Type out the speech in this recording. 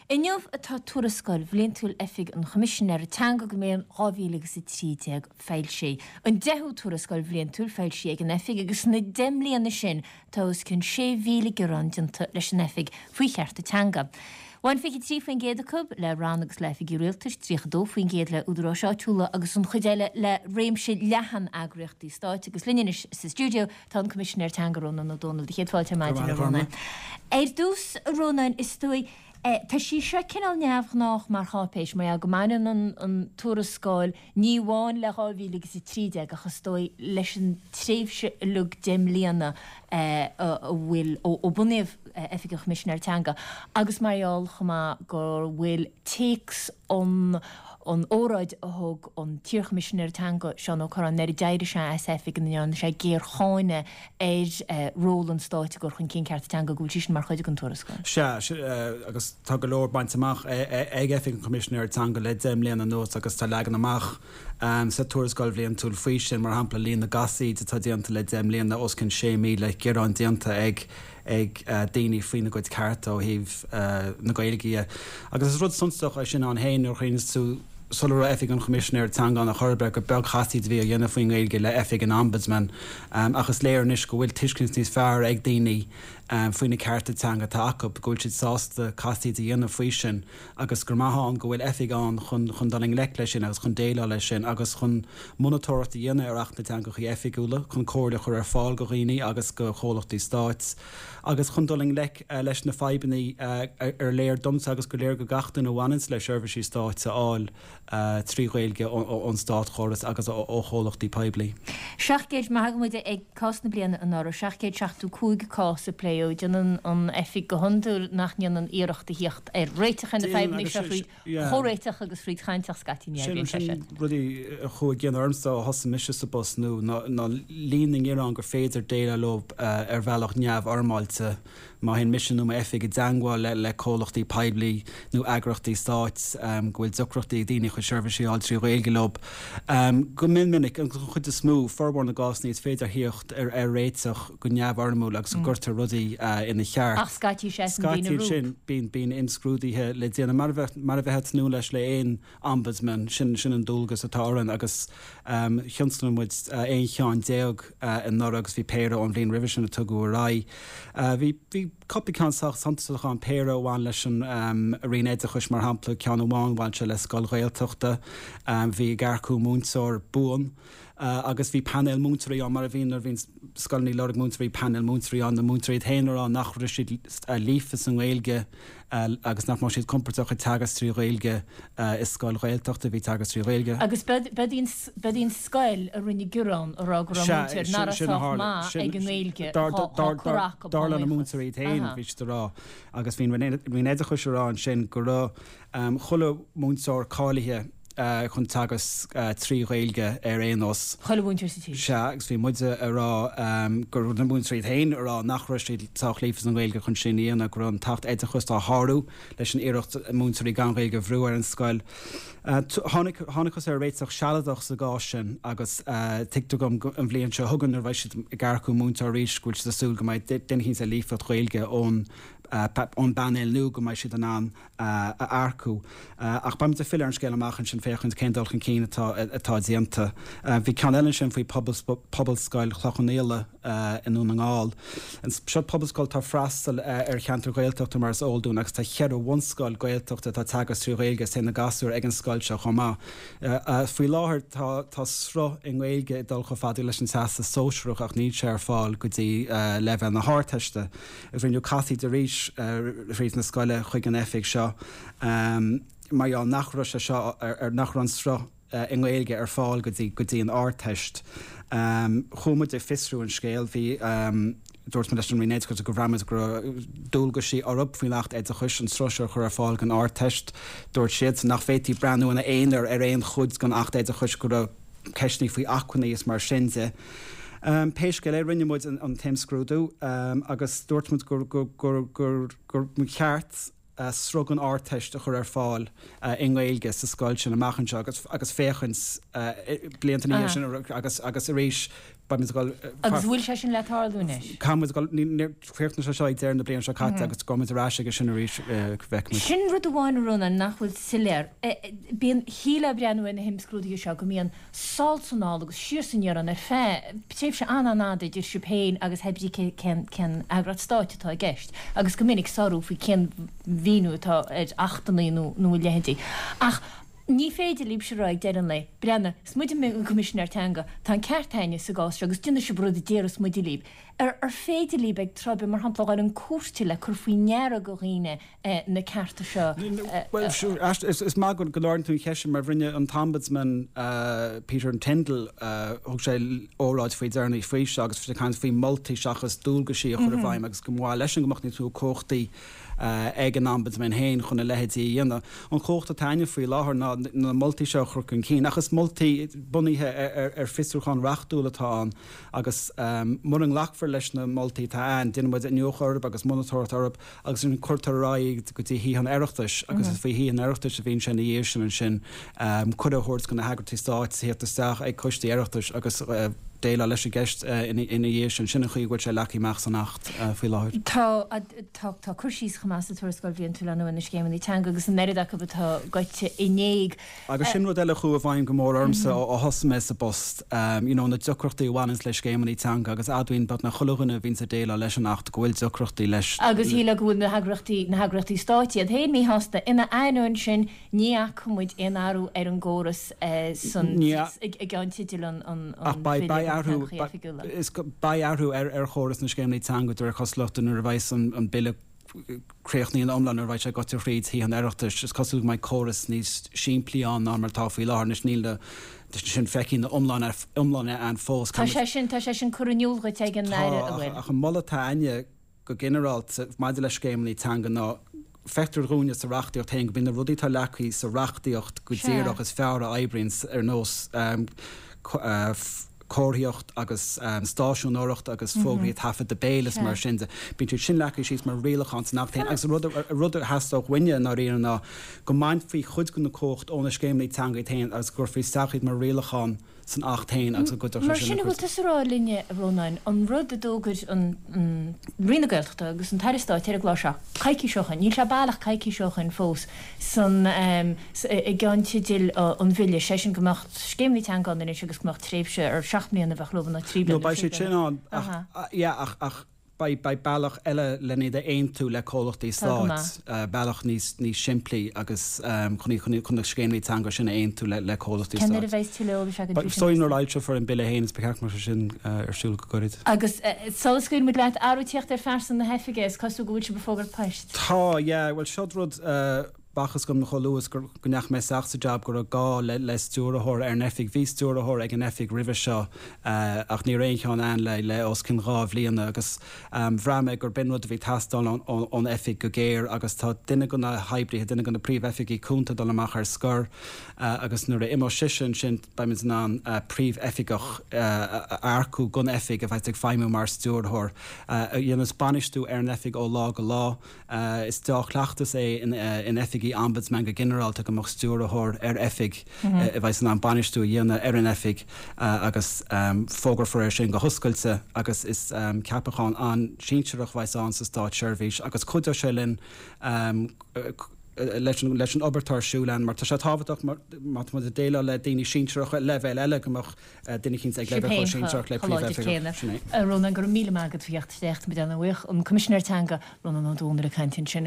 Inniu atá tuarascáil bhliantúil Oifig an Choimisinéara Teanga don mbliain 2013 foilsithe. An deichiú tuarascáil bhliantúil foilsithe ag an Oifig agus sna 10 mbliana sin tá os cionn 6,000 gearán déanta leis an Oifig faoi chearta teanga. Bhain 23% acu le ranna agus le hoifigí rialtais, 32% le údaráis áitiúla agus an chuid eile le réimse leathan eagraíochtaí stáit. Agus linn anois sa stiúideo tá an Coimisinéir Teanga Rónán Ó Domhnaill. Do chéad fáilte ar maidin, a Rónáin. Ar dtús, a Rónáin, is dóigh, tá sí seo cineál neamhghnách mar cháipéis, mar gheall go mbaineann an tuarascáil ní amháin le 2013 ach is dóigh leis an tréimhse uilig 10 mbliana a bhfuil ó bunaíodh Oifig an Choimisinéara Teanga agus mar gheall chomh maith go bhfuil téacs an an óráid a thug an t-iarChoimisinéir Teanga, Seán Ó Corráin, nuair a d'éirigh sé as oifig ina ndearna sé géarcháineadh ar ról an stáit i gcur chun cinn cearta teanga, go bhfuil sí sin mar chuid den tuarascáil. Sea, agus tá go leor bainte amach ag Oifig an Choimisinéara Teanga le 10 mbliana anuas agus tá leagan amach sa tuarascáil bhliantúil faoi sin, mar shampla líon na gcasaoid atá déanta le 10 mbliana, os cionn 6,000 gearán déanta ag ag daoine faoina gcuid cearta ó thaobh na Gaeilge dhe. Agus is rud suntasach é sin ann féin nuair a chuimhníonns tú sula raibh Oifig an Choimisinéara Teanga ann ar chor ar bith gur beag casaoid a bhí á dhéanamh faoin nGaeilge le Oifig an Ombudsman. Ach is léir anois go bhfuil tuiscint níos fearr ag daoine faoi na cearta teanga atá acu, go bhfuil siad sásta casaoid a dhéanamh faoi sin agus gur maith ann go bhfuil oifig ann chun chun dul i ngleic leis sin agus chun déileáil leis sin agus chun monatóireacht a dhéanamh ar Acht na dTeangacha Oifigiúla, chun comhairle a chur ar fáil go dhaoine agus go chomhlachtaí stáit agus chun dul i ngleic leis na fadhbanna ar léir domsa agus gur léir go gach duine a bhaineanns le seirbhísí stáit a fháil trí Ghaeilge ón státchóras agus ó chomhlachtaí poiblí. 700, má thagann muid ag cás na bliana anuraidh, 775 cás a pléadh. Déanann an Oifig go hiondúil nach ndéanann iarracht a thíocht ar réiteach ar na fadhbanna seo thríd chomhréiteach agus thríd chaint ach scaití ní oibríonn sé sin. Sin rudaí a chuaigh i gcion ormsa ó thosaigh mise sa bpost nua ná líon na ngearán gur féidir déileáil leo ar bhealach neamhfhoirmeáilte. Má théann mise nó m'oifig i dteangmháil le comhlachtaí poiblí nó eagraíochtaí stáit go bhfuil deacrachtaí ag daoine a chuid seirbhísí a fháil trí Ghaeilge leo, go mion minic, agus an chuid is mó, formhór na gcásanna, is féidir theacht ar réiteach go neamhfhoirmiúil agus go gcuirtear rudaí ina cheart. Ach scaití seasann daoine rompu. Scaití ansin, bíonn imscrúduithe le déanamh, mar a bheifeá ag tnúth leis le aon Ombudsman, sin an dualgas atá orainn agus thionscnaigh muid 11 cheann anuraidh agus bhí péire ón bhliain roimhe sin a tugadh ar aghaidh. Bhí bhí cúpla ceann sách suntasach ann, péire a bhain leis an Roinn Oideachais mar shampla, ceann amháin bhain sé le scoil Ghaeltachta, bhí ag earcú múinteoir buan agus bhí painéal múinteoirí ann mar a bhíonn nuair a bhíonn scoileanna ag lorg múinteoirí, painéal múinteoirí ann, na múinteoirí iad féin ag rá nach raibh siad líofa sa nGaeilge. agus nach mbeadh siad compordach ag teagasc trí Ghaeilge i scoil Ghaeltachta, bhí teagasc trí Ghaeilge. Agus b'iod í an scoil a rinne gearán a rá go raibh múinteoir nach raibh sách maith ag an nGaeilge á cur acu. Dar le na múinteoirí iad féin, bhí siad a rá, agus bhí an Roinn Oideachais a rá ansin go raibh chuile mhúinteoir cáilithe chun teagasc trí Ghaeilge ar aon nós. Chuile mhúinteoir sa tír. Sea, agus bhí muide a rá go raibh na múinteoirí iad féin a rá nach raibh siad sách líofa sa nGaeilge chun sin a dhéanamh, go raibh an tAcht Oideachais á shárú leis an iarracht múinteoirí gan Ghaeilge a bhrú ar an scoil. Tháinig, thángthas ar réiteach sealadach sa gcás sin agus tuigtear dom an bhliain seo chugainn nuair a bheidh siad ag earcú múinteoir arís go bhfuil siad ag súil go mbeidh duine eicínt le líofacht Ghaeilge ón ón bpainéal nua go mbeidh siad in ann a earcú. Ach beimid ag filleadh ar an scéal amach ansin féachaint cén dul chun cinn atá atá déanta. Bhí ceann eile ansin faoi Pobalscoil Chloich Cheann Fhaola i nDún na nGall. Seo pobalscoil atá ag freastal ar cheantar Gaeltachta mar is eol dúinn agus tá cheithre bhunscoil Gaeltachta atá ag teagasc trí Ghaeilge is téann na gasúir ag an scoil seo chomh maith. Faoi láthair tá tá sruth i nGaeilge ag dul chomh fada leis an Teastas Sóisearach ach níl sé ar fáil go dtí leibhéal na hArdteiste. Rinneadh casaoid arís thríd na scoile chuig an oifig seo mar gheall nach raibh sé seo ar nach raibh an sruth i nGaeilge ar fáil go dtí go dtí an Ardteist. Chuaigh muid ag fiosrú an scéil. Bhí dúirt muid leis an Roinn Oideachais go bhraith muid go raibh dualgaisí orthu faoin Acht Oideachais an sruth seo a chur ar fáil don Ardteist. Dúirt siadsan nach bhféadfaí breathnú ina aonar ar aon chuid den Acht Oideachais go raibh ceisteanna faoi acmhainní is mar sin de. Pé scéal é, rinne muid an t-imscrúdú agus dúirt muid gur gur cheart sruth don Ardteist a chur ar fáil i nGaeilge sa scoil sin amach anseo agus agus féachaint blianta ina dhiaidh sin agus agus arís. Beimid ag dul. Agus an bhfuil sé sin le tarlú anois? Caithfimid dul, níor chríochnaigh sé seo ag deireadh na bliana seo caite agus gabhfaimid ar ais aige sin arís, feicfimid. Sin rud amháin, a Rónáin, nach bhfuil soiléir. Bíonn, shílfeá ag breathnú ar na himscrúduithe seo go mbíonn sall 's anall agus siar 's aniar ann ar feadh tréimhse an-an-fhada idir sibh féin agus hé brí cén cén eagraíocht stáit atá i gceist agus go minic sárú faoi cén mhíniú atá ar achtanna nó nó a leithéidí. Ach Ní féidir libhse a rá ag deireadh an lae, breathnaigh, is muide an Coimisinéir Teanga, tá an ceart a'inne sa gcás seo agus déanfaidh sibh rud a déarfas muide libh. Ar ar féidir libh ag tráth ar bith, mar shampla, a dhul chun cúirte le cur faoi ndeara go dhaoine na cearta seo a. Bhuel, is maith go n-ardaíonn tú an cheist sin mar rinne an tOmbudsman Peter Tyndall, thug sé óráid faoi deireanaí faoi seo agus bhí sé ag caint faoi moltaí seachas dualgaisí a chur i bhfeidhm agus go mba mhaith leisean go mbeadh níos mó cumhachtaí ag an Ombudsman féin chun a leithéidí a dhéanamh. An chumhacht atá a'inne faoi láthair ná na moltaí seo a chur chun cinn, ach is moltaí bunaithe ar fiosrúchán reachtúil atá ann agus mura nglacfar leis na moltaí atá a'inn, déanann muid iniúchadh orthu agus monatóireacht orthu agus ansin cuirtear ar aghaidh iad go dtí Thithe an Oireachtais agus is faoi Thithe an Oireachtais a bhíonn sé ina dhiaidh sin ansin cuireadh a thabhairt do na heagraíochtaí stáit theacht isteach ag coistí Oireachtais agus déileáil leis an gceist ina dhiaidh sin. Sin an chaoi a bhfuil sé leagtha amach san Acht faoi láthair. Tá, tá, tá cur síos chomh maith sa Tuarascáil Bhliantúil ar na scéimeanna teanga agus an oiread acu atá gaibhte in éag. Agus sin rud eile a chuaigh i bhfeidhm go mór ormsa ó thosaigh mé sa bpost, you know na deacrachtaí a bhaineanns le scéimeanna teanga agus admhaíonn beagnach chuile dhuine a bhíonns ag déileáil leis an Acht go bhfuil deacrachtaí leis. Agus shílfeá go bhfuil na heagraíochtaí, na heagraíochtaí stáit iad féin míshásta. Ina ainneoin sin, Ní fhaca muid aon athrú ar an gcóras san i gceannteideal an Bhille do Theangacha Oifigiúla. Beidh athrú ar chóras na scéimeanna teanga de réir cosúlachta nuair a bheas an Bille críochnaithe ina iomlán, nuair a bheidh sé gaibhte thríd Thithe an Oireachtais. Is cosúil go mbeidh córas níos simplí ann ná mar atá faoi láthair. Anois níl sin feicthe ina iomláine ann fós. Tá sé sin, tá sé sin curtha in iúl dhuit ag an Aire, an bhfuil? Tá, ach an moladh atá a'inne, go ginearálta, maidir le scéimeanna teanga ná feictear dhúinne sa reachtaíocht féin go mbíonn na rudaí atá leagtha sa reachtaíocht go díreach is fearr a oibríonn ar nós comharthaíocht agus stáisiúnóireacht agus fógraí taifeadta béil is mar sin de. Bíonn siad sin leagtha síos mar rialachán san Acht féin agus rud a theastódh uainne i ndáiríre ná go mbainfí cuid de na cumhacht ó na scéimeanna teanga iad féin agus go gcuirfí isteach iad mar rialachán san Acht féin agus go gcuideodh sé sin le Mar sin a bhfuil tusa a rá linne, a Rónáin, an rud a d'fhógair an Roinn na Gaeltachta agus an tAire Stáit ar an gclár seo coicís ó shoin, níl sé baileach coicís ó shoin fós, san i gceannteideal an Bhille, sé sin go mbeadh scéimeanna teanga ann anois agus go mbeadh tréimhse ar 7 mbliana a bheadh leo nó 3 bliana. No, beidh siad sin ann ach, yeah, ach, ach. Beidh bealach eile len iad a aontú le comhlachtaí stáit, bealach níos simplí agus chun na scéimeanna teanga sin a aontú le comhlachtaí stáit. Cén uair a bheidh tuilleadh eolais againn faoi sin? Is dóigh nuair a fhoilseofar an Bille féin, is ba cheart go mbeadh sé sin ar siúl go gairid. Agus sula scaoilfidh muid leat, athrú ag tíocht ar phearsa na hoifige, is cosúil go bhfuil sibh ag fógairt poist. Tá, yeah, bhuel seo rud B'fhacthas dom chomh luath is go ndeachaigh mé isteach sa jab go raibh gá le stiúrthóir ar an oifig. Bhí stiúrthóir ag an oifig roimhe seo ach ní raibh aon cheann ann le os cionn 2 bhliana agus bhraith mé gur b'in rud a bhí ag teastáil ón oifig go géar agus tá duine de na hoibrithe, duine de na príomhoifigigh cúnta ag dul amach ar scor agus nuair a imeoidh sise ansin beimid in ann príomhoifigeach a earcú don oifig a bheas ag feidhmiú mar stiúrthóir a dhéanfas bainistiú ar an oifig ó lá go lá. Is deá-chleachtas é in oifigí Ombudsman go ginearálta go mbeadh stiúrthóir ar oifig a bheas in ann bainistiú a dhéanamh ar an oifig agus fógrófar é sin go hoscailte agus is ceapachán an-sinsearach a bheas ann sa státseirbhís agus cuideoidh sé linn leis an obair atá ar siúl ann mar tá sé tábhachtach má tá muid ag déileáil le daoine sinsearacha leibhéal eile go mbeadh duine eicínt ag leibhéal chomh sinsearach le príomhoifigeach. Sin é. A Rónáin, go raibh míle maith agat faoi theacht isteach, tá muid ana-bhuíoch. An Coimisinéir Teanga, Rónán Ó Domhnaill ag caint ansin.